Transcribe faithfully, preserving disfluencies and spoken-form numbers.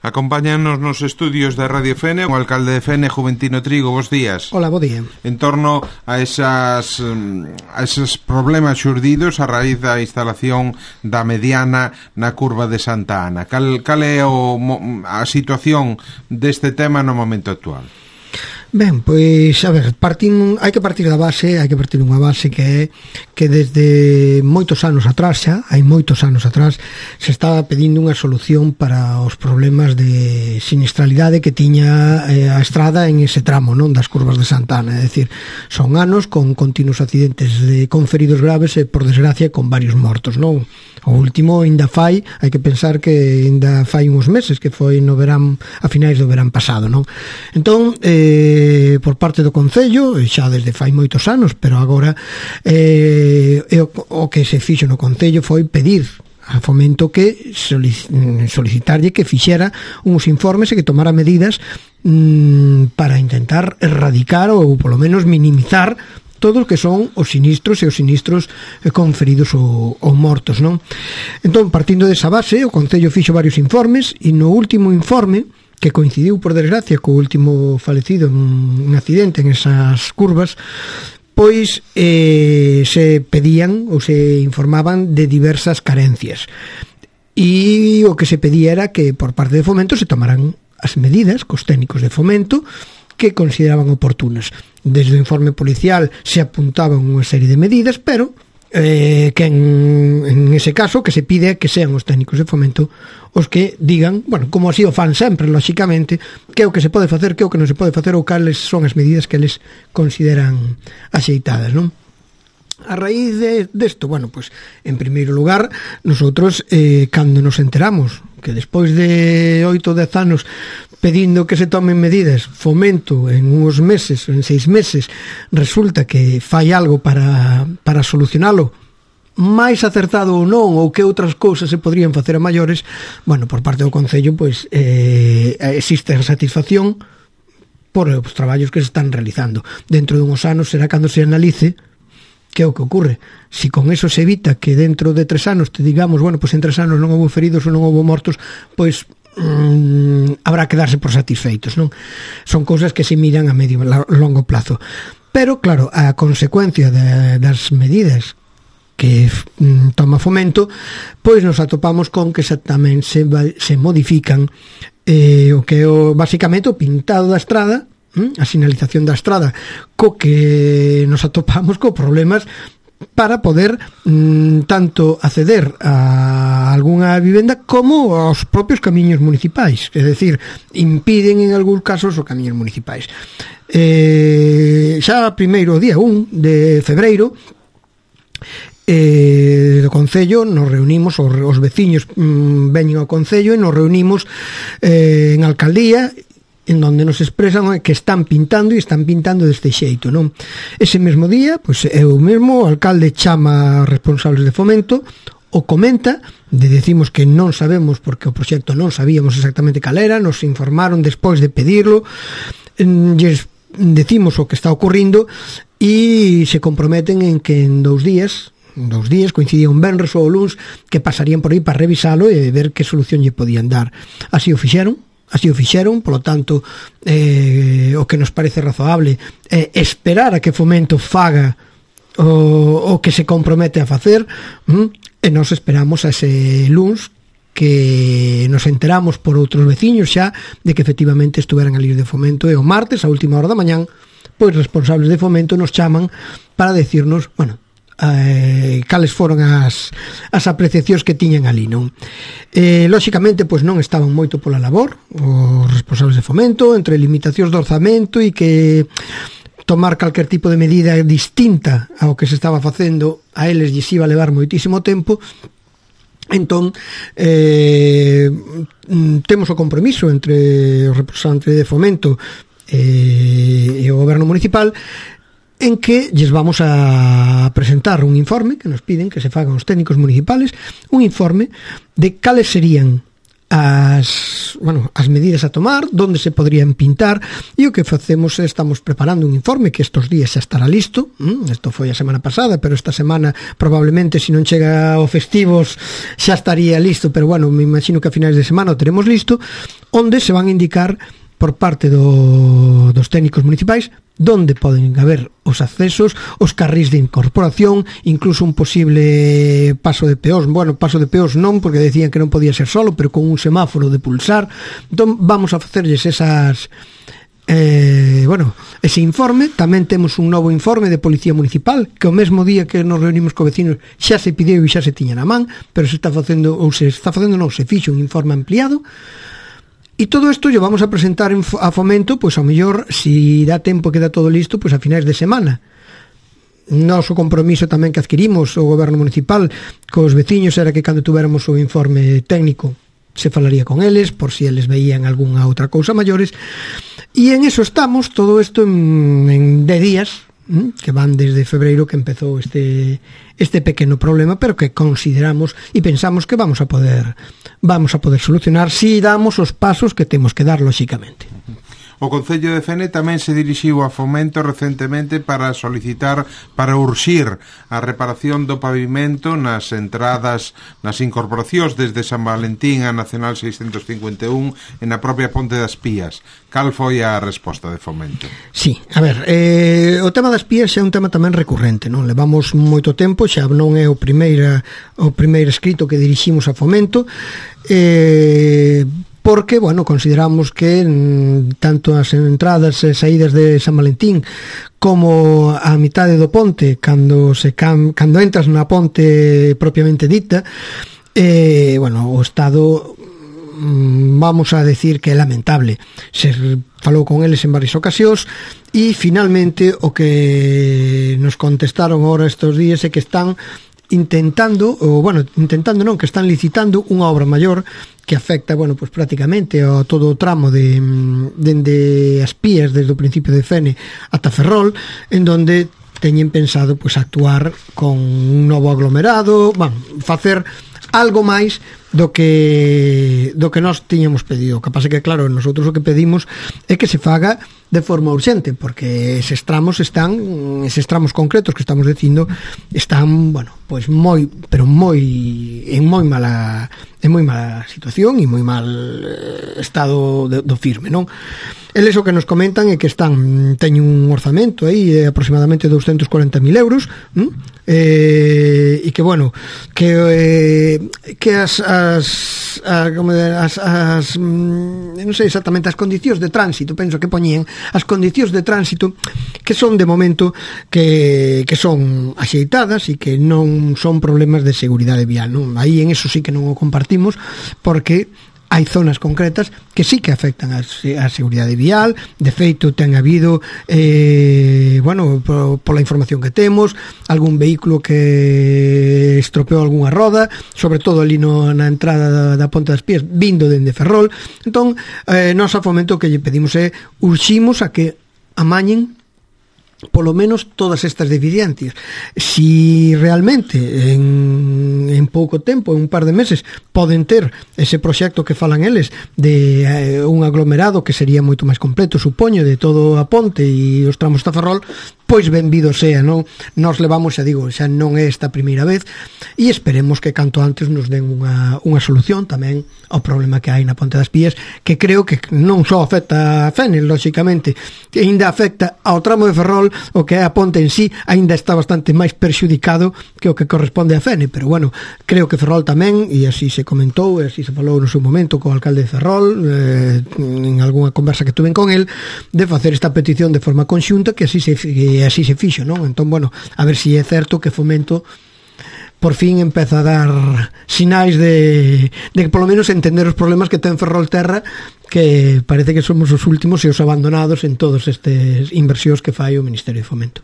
Acompáñanos nos estudios da Radio Fene o alcalde de Fene, Juventino Trigo. Bos días. Hola, bo día. En torno a esas a esos problemas xurdidos a raíz da instalación da mediana na curva de Santa Ana, cal, cal é o, a situación deste tema no momento actual? Ben, pois, a ver, partim, hai que partir da base, hai que partir dunha base que é que desde moitos anos atrás xa, hai moitos anos atrás, se estaba pedindo unha solución para os problemas de sinistralidade que tiña eh, a estrada en ese tramo, non, das curvas de Santa Ana, é dicir, son anos con continuos accidentes de, con feridos graves e, por desgracia, con varios mortos, non? O último ainda fai, hai que pensar que ainda fai uns meses, que foi no verán, a finais do verán pasado, non? Entón, eh, por parte do Concello, xa desde fai moitos anos, pero agora eh, o, o que se fixo no Concello foi pedir a Fomento que solicitarlle que fixera uns informes e que tomara medidas mmm, para intentar erradicar ou polo menos minimizar todos que son os sinistros e os sinistros con feridos ou, ou mortos, non? Entón, partindo desa base, o Concello fixo varios informes e no último informe, que coincidiu, por desgracia, co último falecido en un accidente en esas curvas, pois eh, se pedían ou se informaban de diversas carencias. E o que se pedía era que por parte de Fomento se tomaran as medidas cos técnicos de Fomento que consideraban oportunas. Desde o informe policial se apuntaban unha serie de medidas, pero eh, que en, en ese caso que se pide que sean os técnicos de Fomento os que digan, bueno, como así o fan sempre, lóxicamente, que é o que se pode facer, que é o que non se pode facer ou cales son as medidas que eles consideran axeitadas, non? A raíz de desto, bueno, pues en primeiro lugar, nosotros eh, cando nos enteramos que despois de oito ou dez anos pedindo que se tomen medidas, Fomento en uns meses, en seis meses, resulta que fai algo para, para solucionalo, máis acertado ou non, ou que outras cousas se podrían facer a maiores, bueno, por parte do Concello, pois eh, existe a satisfacción por os traballos que se están realizando. Dentro dunhos anos será cando se analice que é o que ocurre. Si con eso se evita que dentro de tres anos te digamos, bueno, pois en tres anos non houve feridos ou non houve mortos, pois mmm, habrá que darse por satisfeitos, non? Son cousas que se miran a medio a longo plazo. Pero, claro, a consecuencia de, das medidas que mm, toma Fomento, pois nos atopamos con que xa tamén se, se modifican eh, o que é o, basicamente o pintado da estrada, a sinalización da estrada, co que nos atopamos co problemas para poder mm, tanto acceder a algunha vivenda como aos propios camiños municipais, é dicir, impiden en algúns casos os camiños municipais. Eh, xa primeiro día un de febreiro eh, do Concello nos reunimos, os, os veciños mm, veñen ao Concello e nos reunimos eh, en Alcaldía, en donde nos expresan que están pintando e están pintando deste xeito, non? Ese mesmo día, pois eu mesmo, o alcalde chama aos responsables de Fomento, o comenta, de decimos que non sabemos porque o proxecto non sabíamos exactamente cal era, nos informaron despois de pedirlo, lles decimos o que está ocurrindo e se comprometen en que en dous días dous días, coincidía un venres ou luns, que pasarían por aí para revisalo e ver que solución lle podían dar. Así o fixeron, así o fixeron, polo tanto, eh, o que nos parece razoable é eh, esperar a que Fomento faga o, o que se compromete a facer, mm, e nos esperamos a ese luns que nos enteramos por outros veciños xa de que efectivamente estuveran ali de Fomento, e o martes, a última hora da mañán, pois responsables de Fomento nos chaman para decirnos, bueno, Eh, cales foron as, as apreciacións que tiñan ali, non? Eh, lóxicamente, pois non estaban moito pola labor os responsables de Fomento, entre limitacións do orzamento e que tomar calquer tipo de medida distinta ao que se estaba facendo a eles lles iba a levar moitísimo tempo. Entón, eh, temos o compromiso entre os representantes de Fomento eh, e o goberno municipal en que lles vamos a presentar un informe que nos piden que se fagan os técnicos municipales, un informe de cales serían as, bueno, as medidas a tomar, onde se podrían pintar, e o que facemos é estamos preparando un informe que estes días xa estará listo. Isto foi a semana pasada, pero esta semana probablemente, se non chega ao festivos, xa estaría listo, pero bueno, me imagino que a finais de semana o teremos listo, onde se van a indicar por parte do, dos técnicos municipais donde poden haber os accesos, os carrís de incorporación, incluso un posible paso de peóns. Bueno, paso de peóns non, porque decían que non podía ser solo, pero con un semáforo de pulsar. Entón vamos a facerlles esas eh, bueno, ese informe. Tamén temos un novo informe de Policía Municipal, que o mesmo día que nos reunimos co vecinos xa se pideu e xa se tiña na man, pero se está facendo, ou se está facendo non, se fixo un informe ampliado. E todo isto yo vamos a presentar a Fomento, pois ao mellor, si dá tempo que dá todo listo, pois a finais de semana. Noso compromiso tamén que adquirimos o goberno municipal cos veciños era que cando tuéramos o informe técnico se falaría con eles, por si eles veían algunha outra cousa maiores. E en eso estamos, todo isto en, en dez días, que van desde febreiro que empezou este este pequeno problema, pero que consideramos e pensamos que vamos a poder vamos a poder solucionar si damos os pasos que temos que dar lóxicamente. O Concello de Fene tamén se dirixiu a Fomento recentemente para solicitar, para urxir a reparación do pavimento nas entradas, nas incorporacións desde San Valentín a Nacional seiscentos cincuenta e un e na propia Ponte das Pías. Cal foi a resposta de Fomento? Sí, a ver, eh, o tema das pías é un tema tamén recurrente, non? Levamos moito tempo, xa non é o primeiro, o primeiro escrito que diriximos a Fomento, eh... porque, bueno, consideramos que tanto as entradas e saídas de San Valentín como a mitade do ponte, cando se cam, cando entras na ponte propiamente dita, eh, bueno, o estado, vamos a decir que é lamentable. Se falou con eles en varias ocasións e finalmente o que nos contestaron ahora estes días é que están intentando, ou bueno, intentando non, que están licitando unha obra maior que afecta, bueno, pues prácticamente a todo o tramo de dende as Pías, desde o principio de Fene ata Ferrol, en donde teñen pensado pues actuar con un novo aglomerado, bueno, facer algo máis do que do que nós tiñamos pedido. O que pasa que, claro, nosotros o que pedimos é que se faga de forma urxente, porque eses tramos están, eses tramos concretos que estamos dicindo, están, bueno, pois moi, pero moi en moi mala en moi mala situación e moi mal estado de, do firme, non? Eles o que nos comentan é que están teñen un orzamento aí de aproximadamente doscientos cuarenta mil euros, ¿m? eh, e que, bueno, que eh, que as as, a, como de, as, as non sei exactamente as condicións de tránsito, penso que poñían as condicións de tránsito que son de momento que, que son axeitadas e que non son problemas de seguridade vial, non? Aí en eso sí que non o compartimos, porque hai zonas concretas que sí que afectan a, a seguridade vial. De feito, ten habido eh, bueno, por, pola información que temos, algún vehículo que estropeou algunha roda, sobre todo ali no, na entrada da, da Ponte das Pías, vindo dende Ferrol. Entón, eh, nós a Fomento que lle pedimos é urximos a que amañen polo menos todas estas deficiencias. Si realmente en, en pouco tempo, en un par de meses, poden ter ese proxecto que falan eles de eh, un aglomerado que sería moito máis completo, supoño, de todo a ponte e os tramos da Ferrol, pois benvido sea, non? Nos levamos, xa digo, xa non é esta primeira vez, e esperemos que canto antes nos den unha, unha solución tamén ao problema que hai na Ponte das Pías, que creo que non só afecta a Fene, lóxicamente, que ainda afecta ao tramo de Ferrol, o que é a ponte en sí, ainda está bastante máis perxudicado que o que corresponde a Fene, pero bueno, creo que Ferrol tamén, e así se comentou, e así se falou no seu momento co alcalde de Ferrol, eh, en algunha conversa que tuven con el, de facer esta petición de forma conxunta, que así se que así se fixo, non? Entón, bueno, a ver se si é certo que Fomento por fin empeza a dar sinais de, de que polo menos entender os problemas que ten Ferrolterra, que parece que somos os últimos e os abandonados en todos estes inversións que fai o Ministerio de Fomento.